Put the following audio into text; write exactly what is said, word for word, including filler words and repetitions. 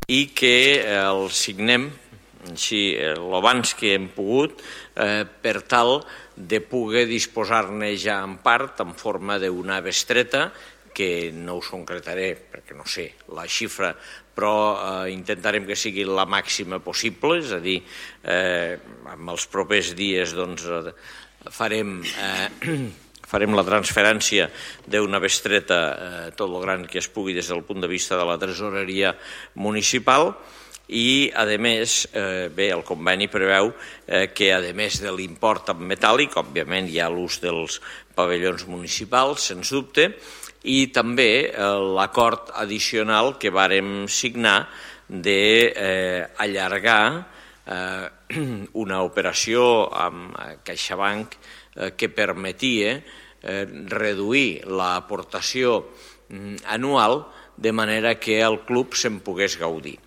i que el signem així l'abans que hem pogut per tal de poder disposar-ne ja en part en forma d'una bestreta que no us concretaré perquè no sé la xifra, però intentarem que sigui la màxima possible, és a dir, en els propers dies farem farem la transferència d'una bestreta tot el gran que es pugui des del punt de vista de la tresoreria municipal i, a més, bé, el conveni preveu que, a més de l'import en metàl·lic, òbviament hi ha l'ús dels pavellons municipals, sens dubte, i també l'acord addicional que vàrem signar d'allargar una operació amb CaixaBank que permetia reduir l'aportació anual de manera que el club se'n pogués gaudir.